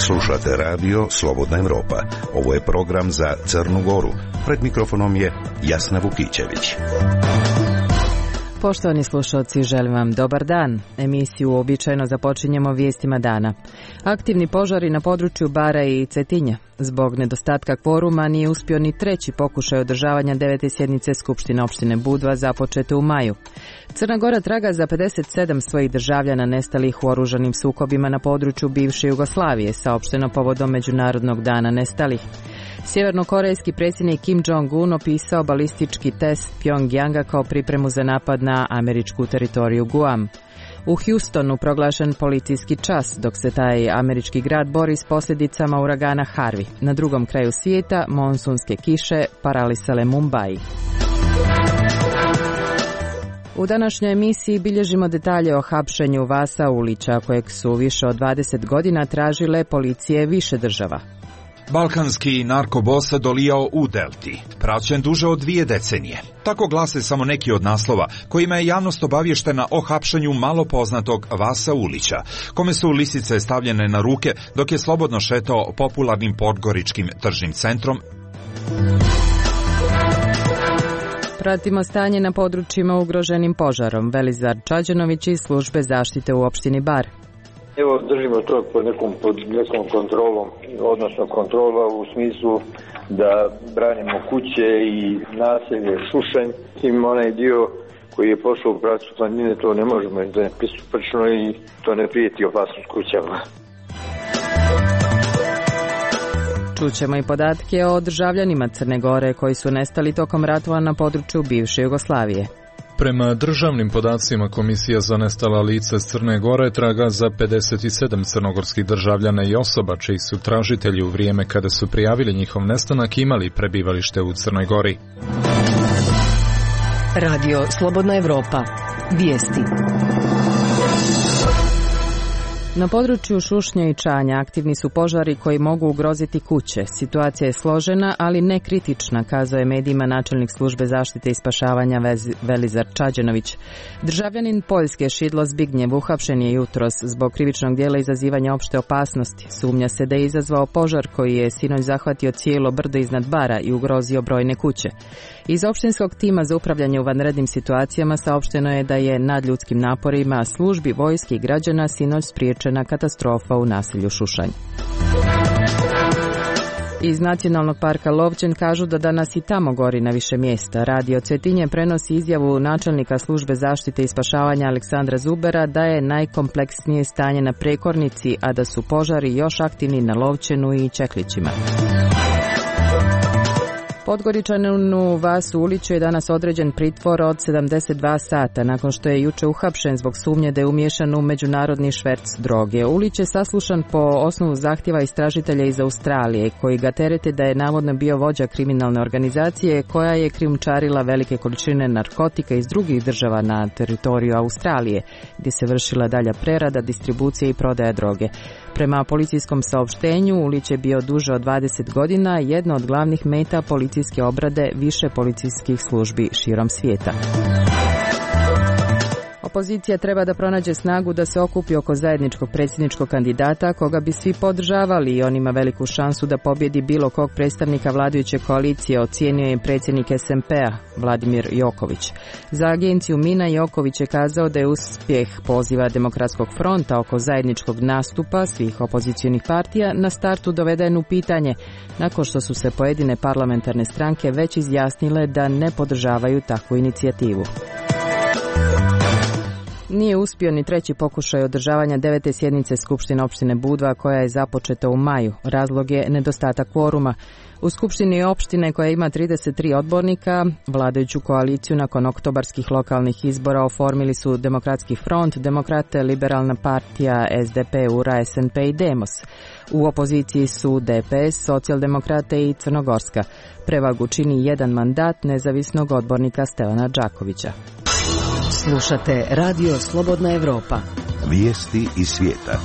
Slušate radio Slobodna Evropa. Ovo je program za Crnu Goru. Pred mikrofonom je Jasna Vukićević. Poštovani slušalci, želim vam dobar dan. Emisiju uobičajeno započinjemo vijestima dana. Aktivni požari na području Bara i Cetinja. Zbog nedostatka kvoruma nije uspio ni treći pokušaj održavanja 9. sjednice Skupštine opštine Budva započete u maju. Crna Gora traga za 57 svojih državljana nestalih u oružanim sukobima na području bivše Jugoslavije, saopšteno povodom Međunarodnog dana nestalih. Sjevernokorejski predsjednik Kim Jong-un opisao balistički test Pjongjanga kao pripremu za napad na američku teritoriju Guam. U Houstonu proglašen policijski čas dok se taj američki grad bori s posljedicama uragana Harvey. Na drugom kraju svijeta monsunske kiše paralisale Mumbai. U današnjoj emisiji bilježimo detalje o hapšenju Vasa Ulića, kojeg su više od 20 godina tražile policije više država. Balkanski narkobos dolijao u Delti, praćen duže od 2 decenije. Tako glase samo neki od naslova kojima je javnost obavještena o hapšenju malo poznatog Vasa Ulića, kome su lisice stavljene na ruke dok je slobodno šetao popularnim podgoričkim tržnim centrom. Pratimo stanje na područjima ugroženim požarom. Velizar Čađanović iz službe zaštite u opštini Bar. Evo, držimo to pod nekom kontrolom, odnosno kontrola u smislu da branimo kuće i naselje Šušanj. Tim onaj dio koji je pošao u pravcu planine, to ne možemo da je pristupačno i to ne prijeti opasnost kućama. Čućemo i podatke o državljanima Crne Gore koji su nestali tokom ratova na području bivše Jugoslavije. Prema državnim podacima, Komisija za nestala lica s Crne Gore traga za 57 crnogorskih državljana i osoba čiji su tražitelji u vrijeme kada su prijavili njihov nestanak imali prebivalište u Crnoj Gori. Radio Slobodna Evropa. Vijesti. Na području Šušnja i Čanja aktivni su požari koji mogu ugroziti kuće. Situacija je složena, ali ne kritična, kazao je medijima načelnik službe zaštite i spašavanja Velizar Čađanović. Državljanin Poljske Šidlo Zbignjev uhapšen je jutros zbog krivičnog djela izazivanja opšte opasnosti. Sumnja se da je izazvao požar koji je sinoć zahvatio cijelo brdo iznad Bara i ugrozio brojne kuće. Iz opštinskog tima za upravljanje u vanrednim situacijama saopšteno je da je nadljudskim naporima službi, vojske i građana sinoć spriječena katastrofa u naselju Šušanj. Iz Nacionalnog parka Lovćen kažu da danas i tamo gori na više mjesta. Radio Cetinje prenosi izjavu načelnika službe zaštite i spašavanja Aleksandra Zubera da je najkompleksnije stanje na Prekornici, a da su požari još aktivni na Lovćenu i Čeklićima. Podgoričaninu Vasu Uliću je danas određen pritvor od 72 sata nakon što je juče uhapšen zbog sumnje da je umiješan u međunarodni šverc droge. Ulić je saslušan po osnovu zahtjeva istražitelja iz Australije koji ga terete da je navodno bio vođa kriminalne organizacije koja je krijumčarila velike količine narkotika iz drugih država na teritoriju Australije gdje se vršila dalja prerada, distribucija i prodaja droge. Prema policijskom saopštenju, Ulić je bio duže od 20 godina, jedna od glavnih meta policijske obrade više policijskih službi širom svijeta. Opozicija treba da pronađe snagu da se okupi oko zajedničkog predsjedničkog kandidata koga bi svi podržavali i on ima veliku šansu da pobjedi bilo kog predstavnika vladajuće koalicije, ocijenio je predsjednik SMP-a Vladimir Joković. Za agenciju Mina Joković je kazao da je uspjeh poziva Demokratskog fronta oko zajedničkog nastupa svih opozicionih partija na startu doveden u pitanje nakon što su se pojedine parlamentarne stranke već izjasnile da ne podržavaju takvu inicijativu. Nije uspio ni treći pokušaj održavanja 9. sjednice Skupštine opštine Budva koja je započeta u maju. Razlog je nedostatak kvoruma. U Skupštini opštine koja ima 33 odbornika, vladajuću koaliciju nakon oktobarskih lokalnih izbora oformili su Demokratski front, Demokrate, Liberalna partija, SDP, URA, SNP i Demos. U opoziciji su DPS, Socijaldemokrate i Crnogorska. Prevagu čini jedan mandat nezavisnog odbornika Stevana Đakovića. Slušate Radio Slobodna Evropa. Vijesti iz svijeta.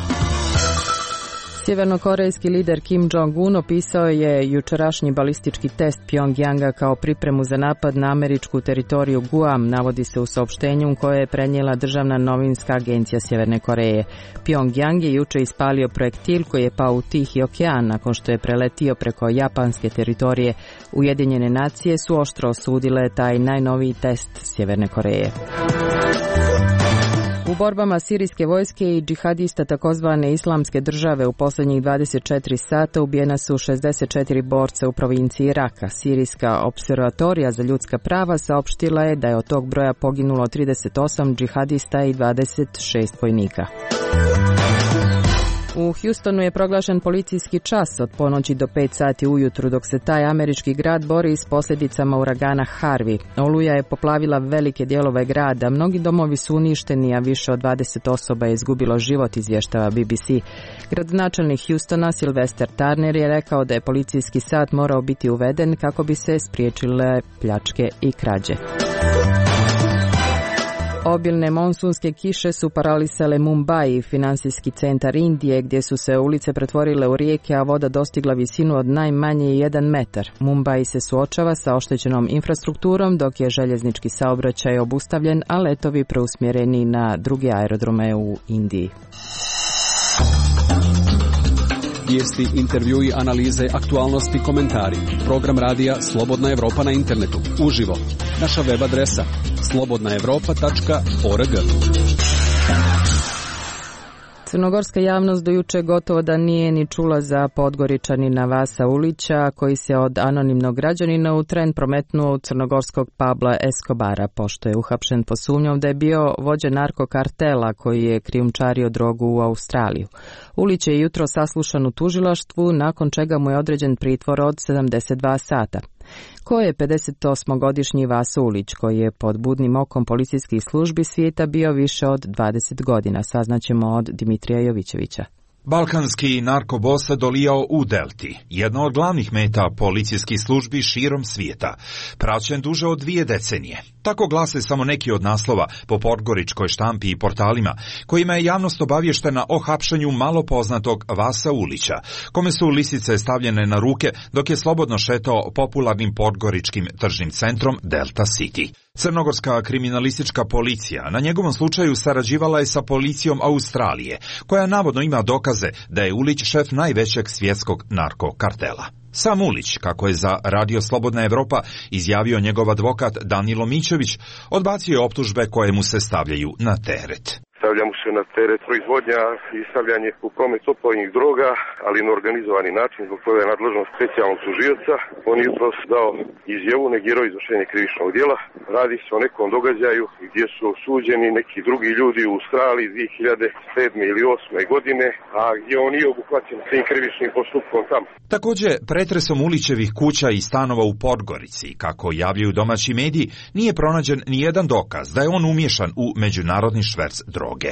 Sjevernokorejski lider Kim Jong-un opisao je jučerašnji balistički test Pjongjanga kao pripremu za napad na američku teritoriju Guam, navodi se u saopštenju koje je prenijela državna novinska agencija Sjeverne Koreje. Pjongjang je juče ispalio projektil koji je pao u Tihi okean nakon što je preletio preko japanske teritorije. Ujedinjene nacije su oštro osudile taj najnoviji test Sjeverne Koreje. U borbama sirijske vojske i džihadista takozvane islamske države u posljednjih 24 sata ubijena su 64 borca u provinciji Raka. Sirijska observatorija za ljudska prava saopštila je da je od tog broja poginulo 38 džihadista i 26 vojnika. U Houstonu je proglašen policijski čas od ponoći do 5 sati ujutru dok se taj američki grad bori s posljedicama uragana Harvey. Oluja je poplavila velike dijelove grada, mnogi domovi su uništeni, a više od 20 osoba je izgubilo život, izvještava BBC. Gradonačelnik Houstona Sylvester Turner je rekao da je policijski sat morao biti uveden kako bi se spriječile pljačke i krađe. Obilne monsunske kiše su paralisale Mumbai, financijski centar Indije, gdje su se ulice pretvorile u rijeke, a voda dostigla visinu od najmanje 1 metar. Mumbai se suočava sa oštećenom infrastrukturom, dok je željeznički saobraćaj obustavljen, a letovi preusmjereni na druge aerodrome u Indiji. Vijesti, intervjui, analize, aktualnosti, komentari. Program radija Slobodna Evropa na internetu. Uživo. Naša web adresa slobodnaevropa.org. Crnogorska javnost do juče gotovo da nije ni čula za Podgoričanina Vasa Ulića, koji se od anonimnog građanina u tren prometnuo u crnogorskog Pabla Escobara, pošto je uhapšen po sumnjom da je bio vođa narkokartela koji je krijumčario drogu u Australiju. Ulić je jutro saslušan u tužilaštvu, nakon čega mu je određen pritvor od 72 sata. Ko je 58-godišnji Vaso Ulić, koji je pod budnim okom policijskih službi svijeta bio više od 20 godina, saznaćemo od Dimitrija Jovićevića. Balkanski narkobos dolijao u Delti, jedna od glavnih meta policijskih službi širom svijeta, praćen duže od 2 decenije. Tako glase samo neki od naslova po podgoričkoj štampi i portalima, kojima je javnost obavještena o hapšenju malo poznatog Vasa Ulića, kome su lisice stavljene na ruke dok je slobodno šetao popularnim podgoričkim tržnim centrom Delta City. Crnogorska kriminalistička policija na njegovom slučaju sarađivala je sa policijom Australije, koja navodno ima dokaze da je Ulić šef najvećeg svjetskog narkokartela. Sam Ulić, kako je za Radio Slobodna Evropa izjavio njegov advokat Danilo Mićević, odbacio je optužbe koje mu se stavljaju na teret. Stavlja mu se na teret proizvodnja i stavljanje u promet opojnih droga, ali na organizovani način, zbog toga je nadležnost specijalnog tužioca. On je jutros dao izjavu, negirao izvršenje krivičnog djela. Radi se o nekom događaju gdje su osuđeni neki drugi ljudi u Australiji 2007. ili 2008. godine, a gdje on nije obuhvaćen tim krivičnim postupkom tamo. Također, pretresom Ulićevih kuća i stanova u Podgorici, kako javljaju domaći mediji, nije pronađen nijedan dokaz da je on umiješan u međunarodni šverc droge.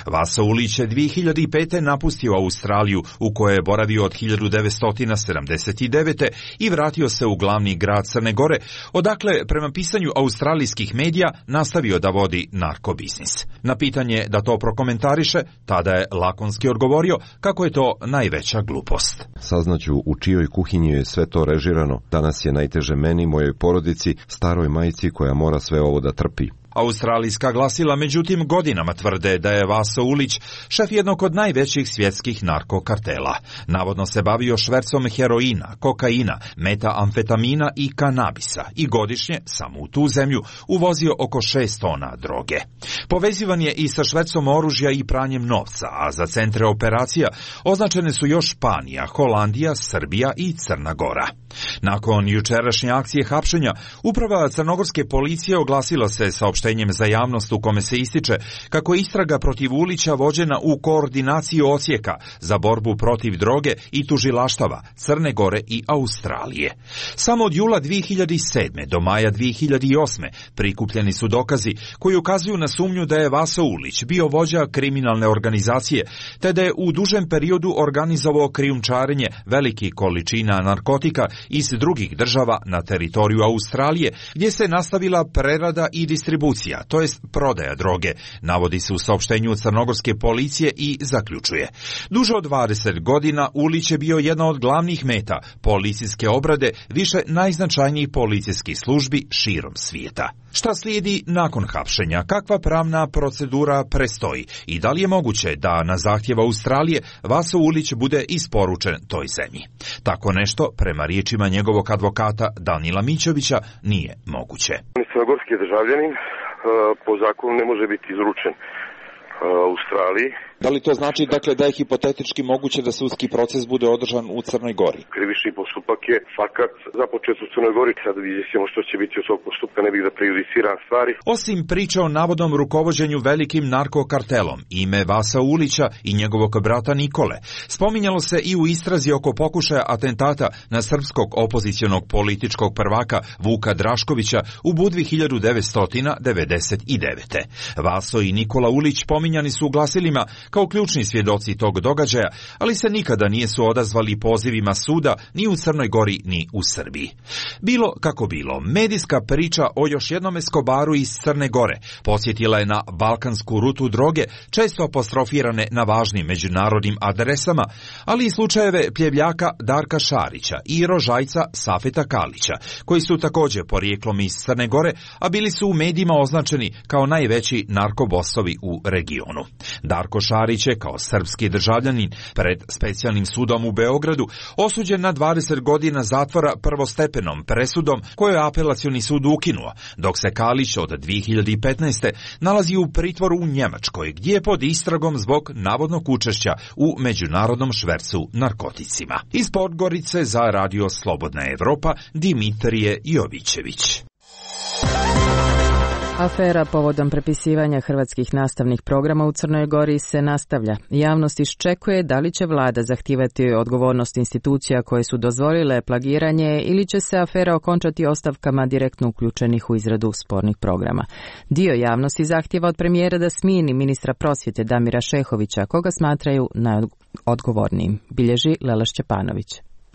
Vasa Ulić je 2005. napustio Australiju, u kojoj je boravio od 1979. i vratio se u glavni grad Crne Gore, odakle, prema pisanju australijskih medija, nastavio da vodi narkobiznis. Na pitanje da to prokomentariše, tada je lakonski odgovorio kako je to najveća glupost. Saznaću u čijoj kuhinji je sve to režirano. Danas je najteže meni, mojoj porodici, staroj majci koja mora sve ovo da trpi. Australijska glasila međutim godinama tvrde da je Vaso Ulić šef jednog od najvećih svjetskih narkokartela. Navodno se bavio švercom heroina, kokaina, metamfetamina i kanabisa i godišnje, samo u tu zemlju, uvozio oko 6 tona droge. Povezivan je i sa švercom oružja i pranjem novca, a za centre operacija označene su još Španija, Holandija, Srbija i Crna Gora. Nakon jučerašnje akcije hapšenja, uprava crnogorske policije oglasila se saopštenjem za javnost u kome se ističe kako je istraga protiv Ulića vođena u koordinaciji odsjeka za borbu protiv droge i tužilaštava Crne Gore i Australije. Samo od jula 2007. do maja 2008. prikupljeni su dokazi koji ukazuju na sumnju da je Vaso Ulić bio vođa kriminalne organizacije, te da je u dužem periodu organizovao krijumčarenje velikih količina narkotika iz drugih država na teritoriju Australije, gdje se nastavila prerada i distribucija distribucija, to jest prodaja droge, navodi se u saopštenju crnogorske policije i zaključuje. Duže od 20 godina Ulić je bio jedna od glavnih meta policijske obrade više najznačajnijih policijskih službi širom svijeta. Šta slijedi nakon hapšenja? Kakva pravna procedura prestoji? I da li je moguće da na zahtjev Australije Vaso Ulić bude isporučen toj zemlji? Tako nešto, prema riječima njegovog advokata Danila Mićovića, nije moguće. Crnogorski državljanin po zakonu ne može biti izručen Australiji. Da li to znači dakle da je hipotetički moguće da sudski proces bude održan u Crnoj Gori? Krivični postupak je fakat započet u Crnoj Gori, sad vidimo što će biti od tog postupka, ne bih da prejudiciram stvari. Osim priča o navodnom rukovođenju velikim narkokartelom, ime Vasa Ulića i njegovog brata Nikole spominjalo se i u istrazi oko pokušaja atentata na srpskog opozicionog političkog prvaka Vuka Draškovića u Budvi 1999. Vaso i Nikola Ulić pominjani su u glasilima kao ključni svjedoci tog događaja, ali se nikada nisu odazvali pozivima suda ni u Crnoj Gori ni u Srbiji. Bilo kako bilo, medijska priča o još jednom Escobaru iz Crne Gore podsjetila je na balkansku rutu droge, često apostrofirane na važnim međunarodnim adresama, ali i slučajeve pljevljaka Darka Šarića i rožajca Safeta Kalića, koji su također porijeklom iz Crne Gore, a bili su u medijima označeni kao najveći narkobosovi u regionu. Darko Šarić je kao srpski državljanin pred specijalnim sudom u Beogradu osuđen na 20 godina zatvora prvostepenom presudom koju je apelacioni sud ukinuo, dok se Kalić od 2015. nalazi u pritvoru u Njemačkoj, gdje je pod istragom zbog navodnog učešća u međunarodnom švercu narkoticima. Iz Podgorice za Radio Slobodna Evropa, Dimitrije Jovićević. Afera povodom prepisivanja hrvatskih nastavnih programa u Crnoj Gori se nastavlja. Javnost iščekuje da li će vlada zahtijevati odgovornost institucija koje su dozvolile plagiranje ili će se afera okončati ostavkama direktno uključenih u izradu spornih programa. Dio javnosti zahtijeva od premijera da smijeni ministra prosvjete Damira Šehovića, koga smatraju najodgovornijim, bilježi Lela Šćepanović.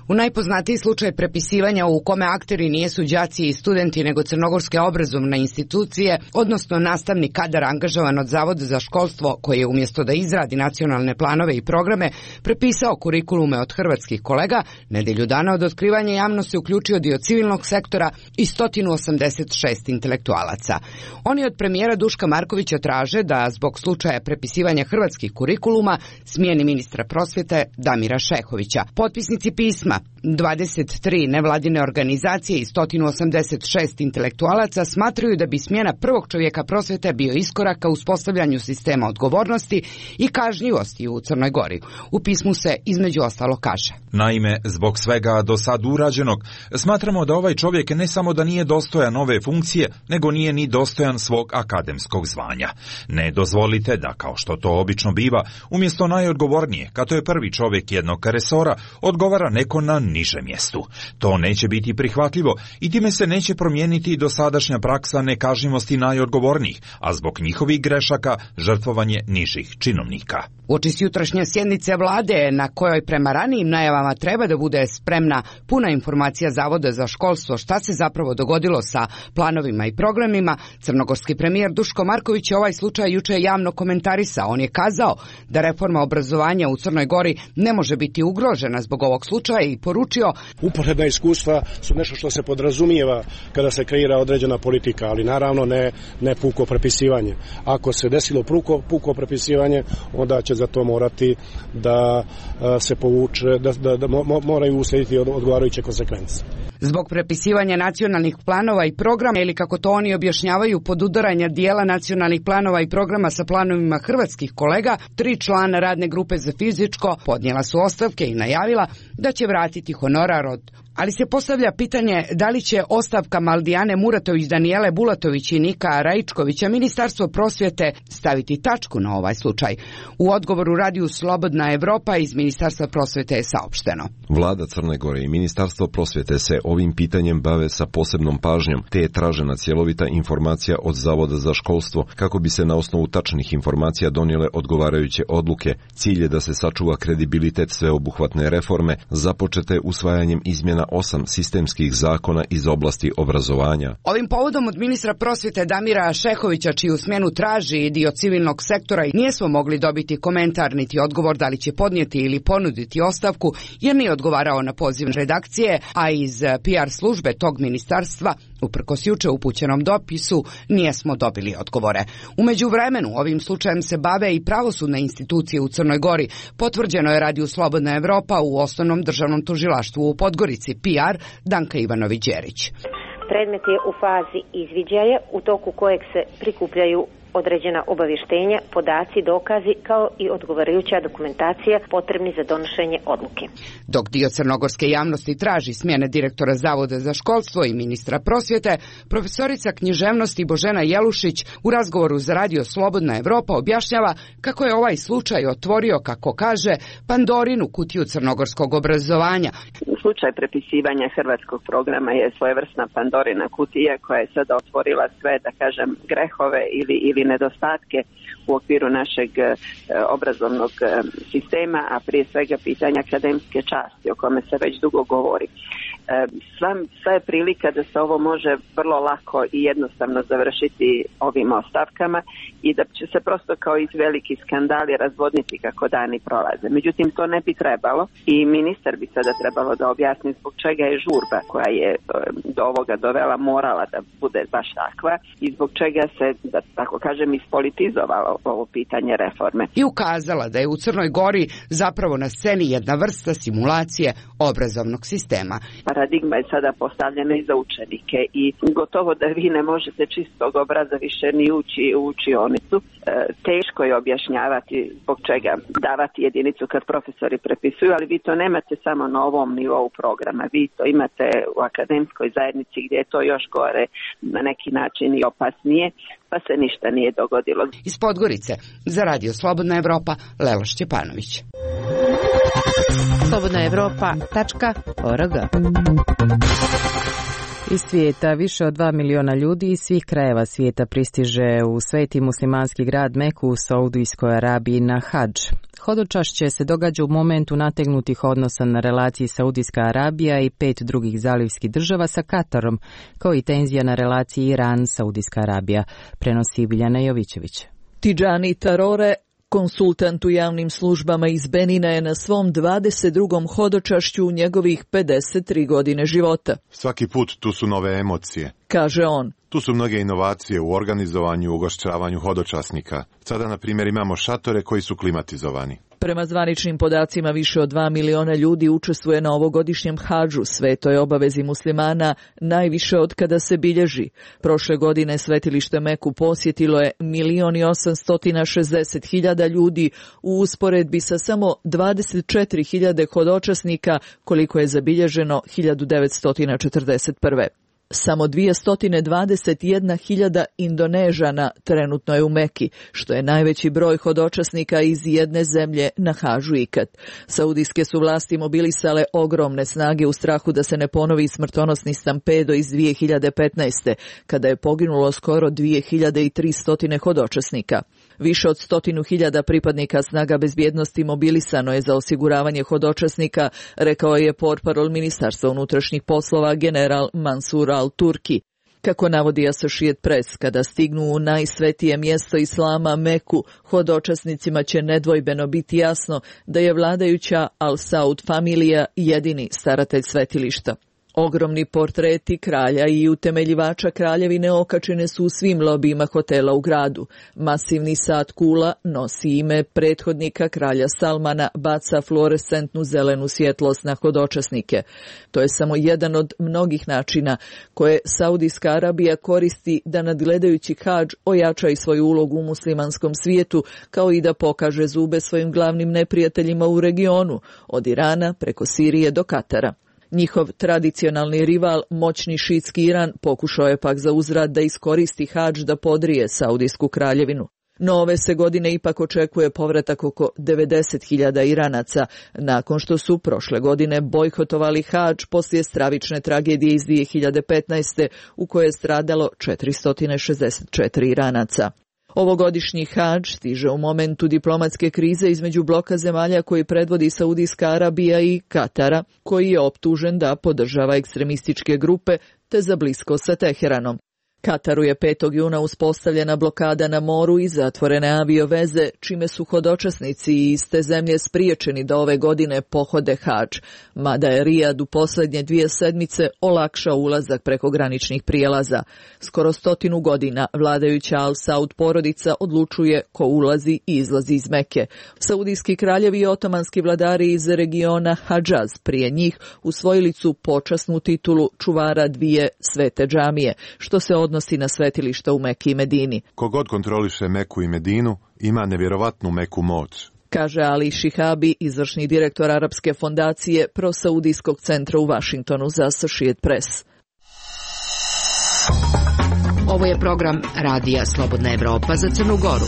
U najpoznatiji slučaj prepisivanja u kome akteri nijesu đaci i studenti nego crnogorske obrazovne institucije, odnosno nastavni kadar angažovan od Zavoda za školstvo koji je umjesto da izradi nacionalne planove i programe prepisao kurikulume od hrvatskih kolega, nedjelju dana od otkrivanja javnosti uključio dio civilnog sektora i 186 intelektualaca. Oni od premijera Duška Markovića traže da zbog slučaja prepisivanja hrvatskih kurikuluma smijeni ministra prosvjete Damira Šehovića. Potpisnici pisma 23 nevladine organizacije i 186 intelektualaca smatraju da bi smjena prvog čovjeka prosvjete bio iskorak ka uspostavljanju sistema odgovornosti i kažnjivosti u Crnoj Gori. U pismu se između ostalo kaže: Naime, zbog svega do sad urađenog, smatramo da ovaj čovjek ne samo da nije dostojan ove funkcije, nego nije ni dostojan svog akademskog zvanja. Ne dozvolite da, kao što to obično biva, umjesto najodgovornije, kad je prvi čovjek jednog resora, odgovara neko na nižem mjestu. To neće biti prihvatljivo i time se neće promijeniti dosadašnja praksa nekažnjivosti najodgovornijih, a zbog njihovih grešaka žrtvovanje nižih činovnika. Uoči jutrašnje sjednice vlade, na kojoj prema ranijim najavama treba da bude spremna puna informacija Zavoda za školstvo šta se zapravo dogodilo sa planovima i programima, crnogorski premijer Duško Marković je ovaj slučaj juče javno komentarisao. On je kazao da reforma obrazovanja u Crnoj Gori ne može biti ugrožena zbog ovog slučaja i poručio: uporedna iskustva su nešto što se podrazumijeva kada se kreira određena politika, ali naravno ne puko prepisivanje. Ako se desilo puko prepisivanje, onda će za to morati da se povuče, da moraju uslijediti odgovarajuće konsekvence. Zbog prepisivanja nacionalnih planova i programa, ili kako to oni objašnjavaju, podudaranja dijela nacionalnih planova i programa sa planovima hrvatskih kolega, 3 člana radne grupe za fizičko podnijela su ostavke i najavila da će vratiti honorar ali se postavlja pitanje da li će ostavkama Aldijane Muratović, Danijele Bulatović i Nika Raičkovića Ministarstvo prosvjete staviti tačku na ovaj slučaj. U odgovoru Radiju Slobodna Evropa iz Ministarstva prosvjete je saopšteno: Vlada Crne Gore i Ministarstvo prosvjete se ovim pitanjem bave sa posebnom pažnjom, te je tražena cjelovita informacija od Zavoda za školstvo kako bi se na osnovu tačnih informacija donijele odgovarajuće odluke. Cilj je da se sačuva kredibilitet sveobuhvatne reforme započete usvajanjem izmjena izmena 8 sistemskih zakona iz oblasti obrazovanja. Ovim povodom od ministra prosvjete Damira Šehovića, čiju smjenu traži i dio civilnog sektora, nismo mogli dobiti komentar niti odgovor da li će podnijeti ili ponuditi ostavku, jer nije odgovarao na poziv redakcije, a iz PR službe tog ministarstva, uprkos juče upućenom dopisu, nismo dobili odgovore. U međuvremenu ovim slučajem se bave i pravosudne institucije u Crnoj Gori. Potvrđeno je radiju Slobodna Evropa u Osnovnom državnom tužilaštvu u Podgorici. PR Danka Ivanović-Đerić. Predmet je u fazi izviđaja, u toku kojeg se prikupljaju određena obavještenja, podaci, dokazi kao i odgovarajuća dokumentacija potrebni za donošenje odluke. Dok dio crnogorske javnosti traži smjene direktora Zavoda za školstvo i ministra prosvjete, profesorica književnosti Božena Jelušić u razgovoru za radio Slobodna Evropa objašnjava kako je ovaj slučaj otvorio, kako kaže, Pandorinu kutiju crnogorskog obrazovanja. Slučaj prepisivanja hrvatskog programa je svojevrsna Pandorina kutija koja je sada otvorila sve, da kažem, grehove ili nedostatke u okviru našeg obrazovnog sistema, a prije svega pitanja akademske časti o kome se već dugo govori. Sva je prilika da se ovo može vrlo lako i jednostavno završiti ovim ostavkama i da će se prosto kao iz veliki skandali razvodniti kako dani prolaze. Međutim, to ne bi trebalo i ministar bi sada trebalo da objasni zbog čega je žurba koja je do ovoga dovela morala da bude baš takva i zbog čega se, da tako kažem, ispolitizovalo ovo pitanje reforme. I ukazala da je u Crnoj Gori zapravo na sceni jedna vrsta simulacije obrazovnog sistema. Paradigma je sada postavljena i za učenike i gotovo da vi ne možete čistog obraza više ni ući u učionicu. Teško je objašnjavati zbog čega davati jedinicu kad profesori prepisuju, ali vi to nemate samo na ovom nivou programa. Vi to imate u akademskoj zajednici gdje je to još gore, na neki način i opasnije, pa se ništa nije dogodilo. Iz Podgorice za radio Slobodna Evropa, Lelo Šćepanović. slobodnaevropa.org. Iz svijeta više od 2 miliona ljudi iz svih krajeva svijeta pristiže u sveti muslimanski grad Meku u Saudijskoj Arabiji na hadž. Hodočašće se događa u momentu nategnutih odnosa na relaciji Saudijska Arabija i 5 drugih zalivskih država sa Katarom, kao i tenzija na relaciji Iran-Saudijska Arabija, prenosi Biljana Jovićević. Tidžani Tarore, konsultant u javnim službama iz Benina, je na svom 22. hodočašću u njegovih 53 godine života. Svaki put tu su nove emocije, kaže on. Tu su mnoge inovacije u organizovanju i ugošćavanju hodočasnika. Sada, na primjer, imamo šatore koji su klimatizovani. Prema zvaničnim podacima, više od 2 miliona ljudi učestvuje na ovogodišnjem hadžu, svetoj obavezi muslimana, najviše od kada se bilježi. Prošle godine svetilište Meku posjetilo je 1.860.000 ljudi u usporedbi sa samo 24.000 hodočasnika, koliko je zabilježeno 1941. Samo 221.000 Indonežana trenutno je u Meki, što je najveći broj hodočasnika iz jedne zemlje na hadžu ikad. Saudijske su vlasti mobilisale ogromne snage u strahu da se ne ponovi smrtonosni stampedo iz 2015. kada je poginulo skoro 2300 hodočasnika. Više od 100.000 pripadnika snaga bezbjednosti mobilisano je za osiguravanje hodočasnika, rekao je portparol Ministarstva unutrašnjih poslova general Mansur al-Turki. Kako navodi Associated Press, kada stignu u najsvetije mjesto islama Meku, hodočasnicima će nedvojbeno biti jasno da je vladajuća Al-Saud familija jedini staratelj svetilišta. Ogromni portreti kralja i utemeljivača kraljevine okačene su u svim lobijima hotela u gradu. Masivni sat kula nosi ime prethodnika kralja Salmana, baca fluorescentnu zelenu svjetlost na hodočasnike. To je samo jedan od mnogih načina koje Saudijska Arabija koristi da nadgledajući hadž ojača i svoju ulogu u muslimanskom svijetu, kao i da pokaže zube svojim glavnim neprijateljima u regionu, od Irana preko Sirije do Katara. Njihov tradicionalni rival, moćni šiitski Iran, pokušao je pak za uzvrat da iskoristi hadž da podrije Saudijsku kraljevinu. No ove se godine ipak očekuje povratak oko 90.000 Iranaca, nakon što su prošle godine bojkotovali hadž poslije stravične tragedije iz 2015. u kojoj je stradalo 464 Iranaca. Ovogodišnji hadž stiže u momentu diplomatske krize između bloka zemalja koji predvodi Saudijska Arabija i Katara, koji je optužen da podržava ekstremističke grupe te za blisko sa Teheranom. Kataru je 5. juna uspostavljena blokada na moru i zatvorene avioveze, čime su hodočasnici iz te zemlje spriječeni da ove godine pohode hadž, mada je Rijad u posljednje 2 sedmice olakšao ulazak preko graničnih prijelaza. Skoro 100 godina vladajuća Al Saud porodica odlučuje ko ulazi i izlazi iz Mekke. Saudijski kraljevi i otomanski vladari iz regiona Hadžaz prije njih usvojili su počasnu titulu čuvara 2 svete džamije, što se odnosi na svetilišta u Meki i Medini. Kogod kontroliše Meku i Medinu ima nevjerovatnu meku moć, kaže Ali Šihabi, izvršni direktor Arapske fondacije Prosaudijskog centra u Vašingtonu za Associated Press. Ovo je program Radija Slobodna Evropa za Crnu Goru.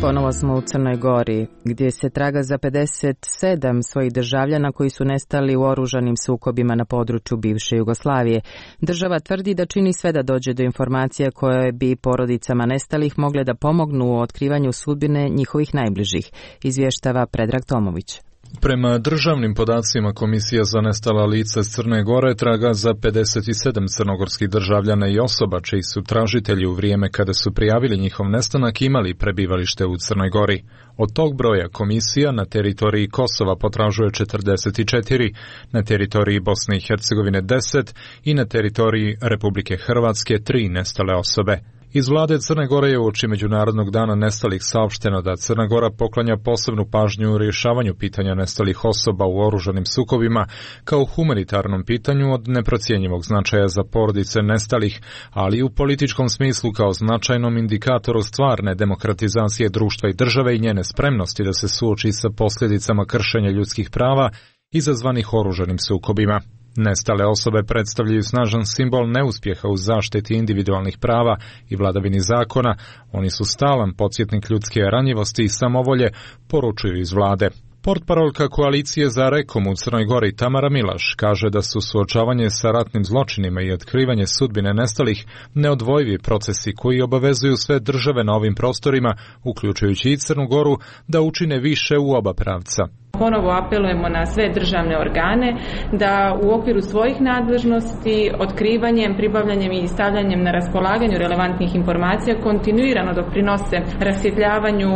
Ponovo smo u Crnoj Gori, gdje se traga za 57 svojih državljana koji su nestali u oružanim sukobima na području bivše Jugoslavije. Država tvrdi da čini sve da dođe do informacija koje bi porodicama nestalih mogle da pomognu u otkrivanju sudbine njihovih najbližih, izvještava Predrag Tomović. Prema državnim podacima Komisija za nestala lica s Crne Gore traga za 57 crnogorskih državljana i osoba čiji su tražitelji u vrijeme kada su prijavili njihov nestanak imali prebivalište u Crnoj Gori. Od tog broja komisija na teritoriji Kosova potražuje 44, na teritoriji Bosne i Hercegovine 10 i na teritoriji Republike Hrvatske 3 nestale osobe. Iz vlade Crne Gore je uoči Međunarodnog dana nestalih saopšteno da Crna Gora poklanja posebnu pažnju u rješavanju pitanja nestalih osoba u oružanim sukobima kao humanitarnom pitanju od neprocjenjivog značaja za porodice nestalih, ali i u političkom smislu kao značajnom indikatoru stvarne demokratizacije društva i države i njene spremnosti da se suoči sa posljedicama kršenja ljudskih prava izazvanih oružanim sukobima. Nestale osobe predstavljaju snažan simbol neuspjeha u zaštiti individualnih prava i vladavini zakona. Oni su stalan podsjetnik ljudske ranjivosti i samovolje, poručuju iz vlade. Portparolka koalicije za Rekom u Crnoj Gori Tamara Milaš kaže da su suočavanje sa ratnim zločinima i otkrivanje sudbine nestalih neodvojivi procesi koji obavezuju sve države na ovim prostorima, uključujući i Crnu Goru, da učine više u oba pravca. Ponovo apelujemo na sve državne organe da u okviru svojih nadležnosti, otkrivanjem, pribavljanjem i stavljanjem na raspolaganju relevantnih informacija kontinuirano doprinose rasvjetljavanju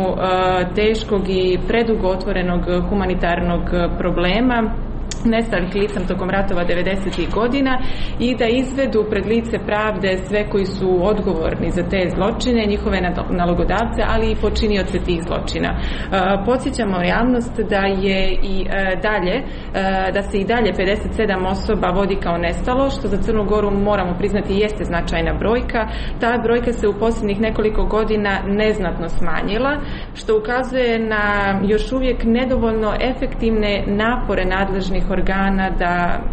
teškog i predugo otvorenog humanitarnog problema nestalih lica tokom ratova 90. godina i da izvedu pred lice pravde sve koji su odgovorni za te zločine, njihove nalogodavce, ali i počinioce tih zločina. Podsjećamo javnost da je i dalje, da se i dalje 57 osoba vodi kao nestalo, što za Crnu Goru moramo priznati jeste značajna brojka. Ta brojka se u posljednjih nekoliko godina neznatno smanjila, što ukazuje na još uvijek nedovoljno efektivne napore nadležnih organa da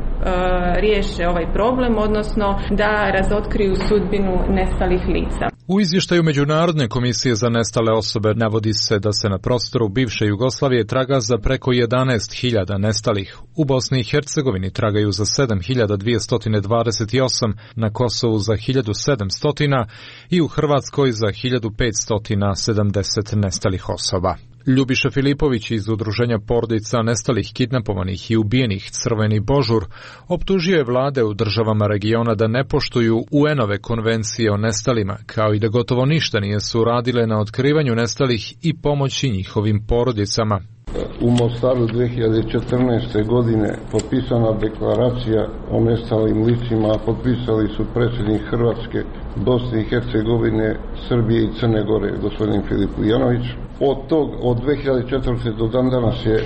riješe ovaj problem, odnosno da razotkriju sudbinu nestalih lica. U izvještaju Međunarodne komisije za nestale osobe navodi se da se na prostoru bivše Jugoslavije traga za preko 11.000 nestalih. U Bosni i Hercegovini tragaju za 7.228, na Kosovu za 1.700 i u Hrvatskoj za 1.570 nestalih osoba. Ljubiša Filipović iz Udruženja porodica nestalih, kidnapovanih i ubijenih Crveni Božur optužio je vlade u državama regiona da ne poštuju UN-ove konvencije o nestalima, kao i da gotovo ništa nisu uradile na otkrivanju nestalih i pomoći njihovim porodicama. U Mostaru 2014. godine potpisana deklaracija o nestalim licima, potpisali su predsjednik Hrvatske, Bosne i Hercegovine, Srbije i Crne Gore, gospodin Filip Ujanović. Od 2004. do dan danas je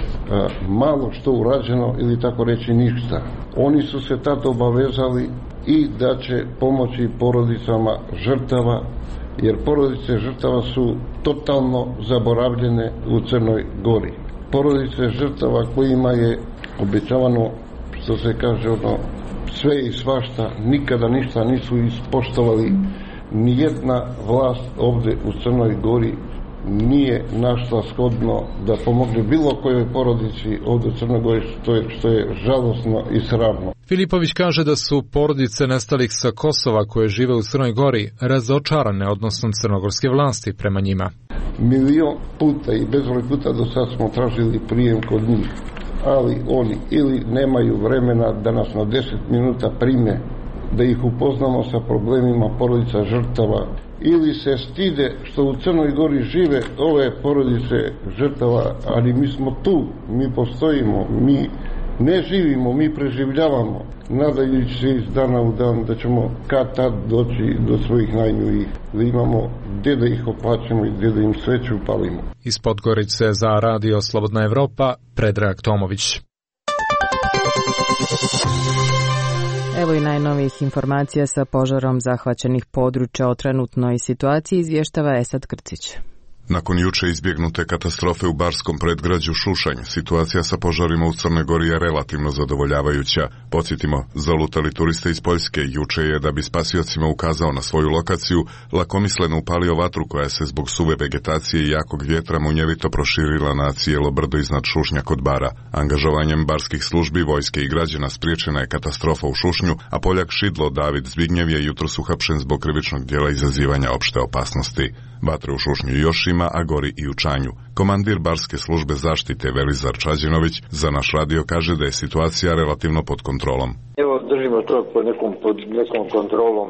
malo što urađeno ili tako reći ništa. Oni su se tad obavezali i da će pomoći porodicama žrtava, jer porodice žrtava su totalno zaboravljene u Crnoj Gori. Porodice žrtava kojima je obećavano, što se kaže, sve i svašta, nikada ništa nisu ispoštovali. Nijedna vlast ovdje u Crnoj Gori nije našla shodno da pomogne bilo kojoj porodici ovdje u Crnoj Gori, što je žalosno i sramno. Filipović kaže da su porodice nestalih sa Kosova koje žive u Crnoj Gori razočarane odnosom crnogorske vlasti prema njima. Milion puta i bezbroj puta do sad smo tražili prijem kod njih, ali oni ili nemaju vremena da nas na 10 minuta prime, da ih upoznamo sa problemima porodica žrtava, ili se stide što u Crnoj Gori žive ove porodice žrtava, ali mi smo tu, mi postojimo, mi ne živimo, mi preživljavamo, nadajući se iz dana u dan da ćemo kad tad doći do svojih najmilijih, da imamo gdje da ih oplaćamo i gdje da im sveću upalimo. Iz Podgorice za Radio Slobodna Evropa, Predrag Tomović. Evo i najnovijih informacija sa požarom zahvaćenih područja o trenutnoj situaciji izvještava Esad Krcić. Nakon juče izbjegnute katastrofe u barskom predgrađu Šušanj, situacija sa požarima u Crnoj Gori je relativno zadovoljavajuća. Podsjetimo, zalutali turiste iz Poljske juče je, da bi spasiocima ukazao na svoju lokaciju, lakomisleno upalio vatru koja se zbog suve vegetacije i jakog vjetra munjevito proširila na cijelo brdo iznad Šušnja kod Bara. Angažovanjem barskih službi, vojske i građana spriječena je katastrofa u Šušnju, a Poljak Šidlo David Zbignjev je jutros uhapšen zbog krivičnog djela izazivanja opšte opasnosti. Vatre u Šušnju još ima, a gori i u Čanju. Komandir barske službe zaštite Velizar Čađinović za naš radio kaže da je situacija relativno pod kontrolom. Evo, držimo to pod nekom kontrolom,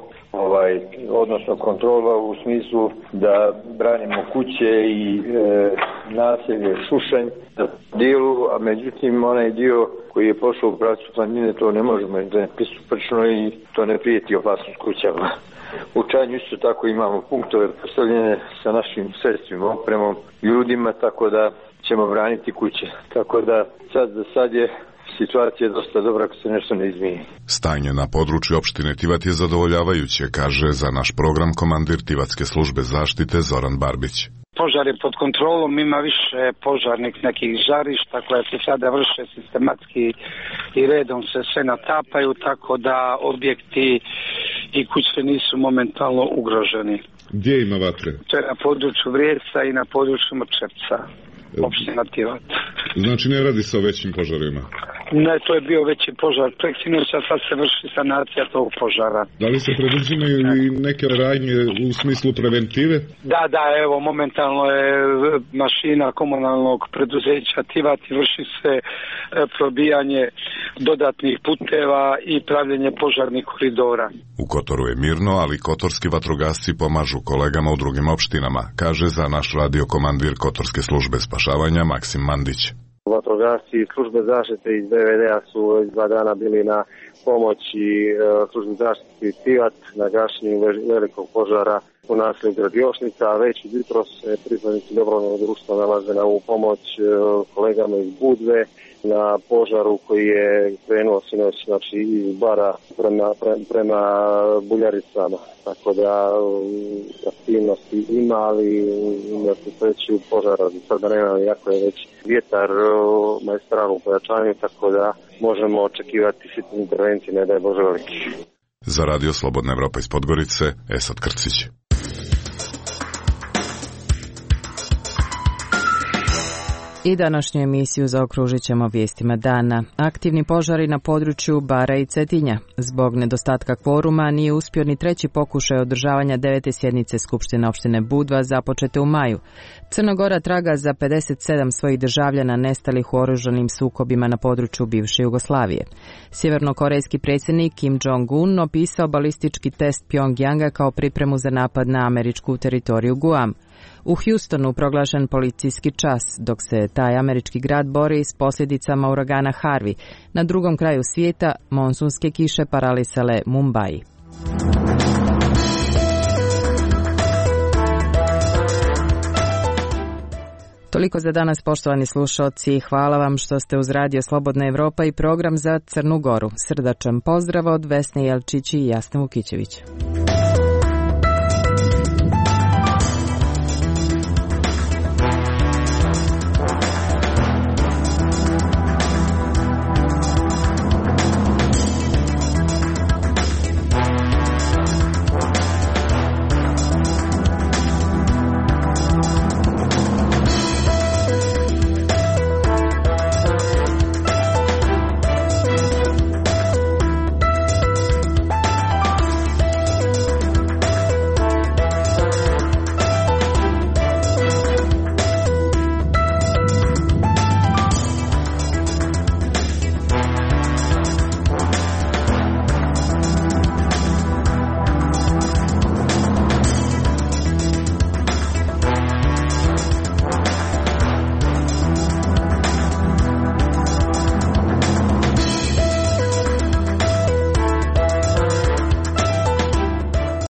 odnosno kontrola u smislu da branimo kuće i naselje Šušanj na dijelu, a međutim onaj dio koji je pošao u pravcu planine, to ne možemo, da je pristupačno i to ne prijeti opasnost kućama. U Čanju isto tako imamo punktove postavljene sa našim sredstvima, opremom, ljudima, tako da ćemo braniti kuće. Tako da sad je situacija dosta dobra ako se nešto ne izmijeni. Stanje na području opštine Tivat je zadovoljavajuće, kaže za naš program komandir Tivatske službe zaštite Zoran Barbić. Požar je pod kontrolom, ima više požarnih nekih žarišta koja se sada vrše sistematski i redom se sve natapaju, tako da objekti i kuće nisu momentalno ugroženi. Gdje ima vatre? To je na području Vrijeca i na području Mrčevca, opština Tivat. Znači ne radi se o većim požarima? Ne, to je bio veći požar preksinoća, sad se vrši sanacija tog požara. Da li se preduzimaju i neke radnje u smislu preventive? Da, evo, momentalno je mašina komunalnog preduzeća Tivat i vrši se probijanje dodatnih puteva i pravljenje požarnih koridora. U Kotoru je mirno, ali kotorski vatrogasci pomažu kolegama u drugim opštinama, kaže za naš radio komandir Kotorske službe spašavanja Maksim Mandić. Vatrogasci i službe zaštite iz DVD-a su 2 dana bili na pomoći službe zaštite Tivat na gašenju velikog požara u naselju Gradiošnica, a već jutros pripadnici dobrovoljnog društva nalaze na ovu pomoć kolegama iz Budve na požaru koji je krenuo sinoć, znači iz Bara prema Buljaricama. Tako da aktivnosti ima, ali na sreću požara sada nema, jako je već vjetar maestralno u pojačanju, tako da možemo očekivati hitne intervencije, ne daj Bože veliki. Za Radio Slobodna Evropa iz Podgorice, Esad Krcić. I današnju emisiju zaokružit ćemo vijestima dana. Aktivni požari na području Bara i Cetinja. Zbog nedostatka kvoruma nije uspio ni treći pokušaj održavanja 9. sjednice Skupštine opštine Budva započete u maju. Crna Gora traga za 57 svojih državljana nestalih u oružanim sukobima na području bivše Jugoslavije. Sjevernokorejski predsjednik Kim Jong-un opisao balistički test Pjongjanga kao pripremu za napad na američku teritoriju Guam. U Houstonu proglašen policijski čas, dok se taj američki grad bori s posljedicama uragana Harvey. Na drugom kraju svijeta monsunske kiše paralisale Mumbai. Toliko za danas, poštovani slušalci. Hvala vam što ste uz Radio Slobodna Evropa i program za Crnu Goru. Srdačan pozdrav od Vesne Jelčić i Jasne Vukićević.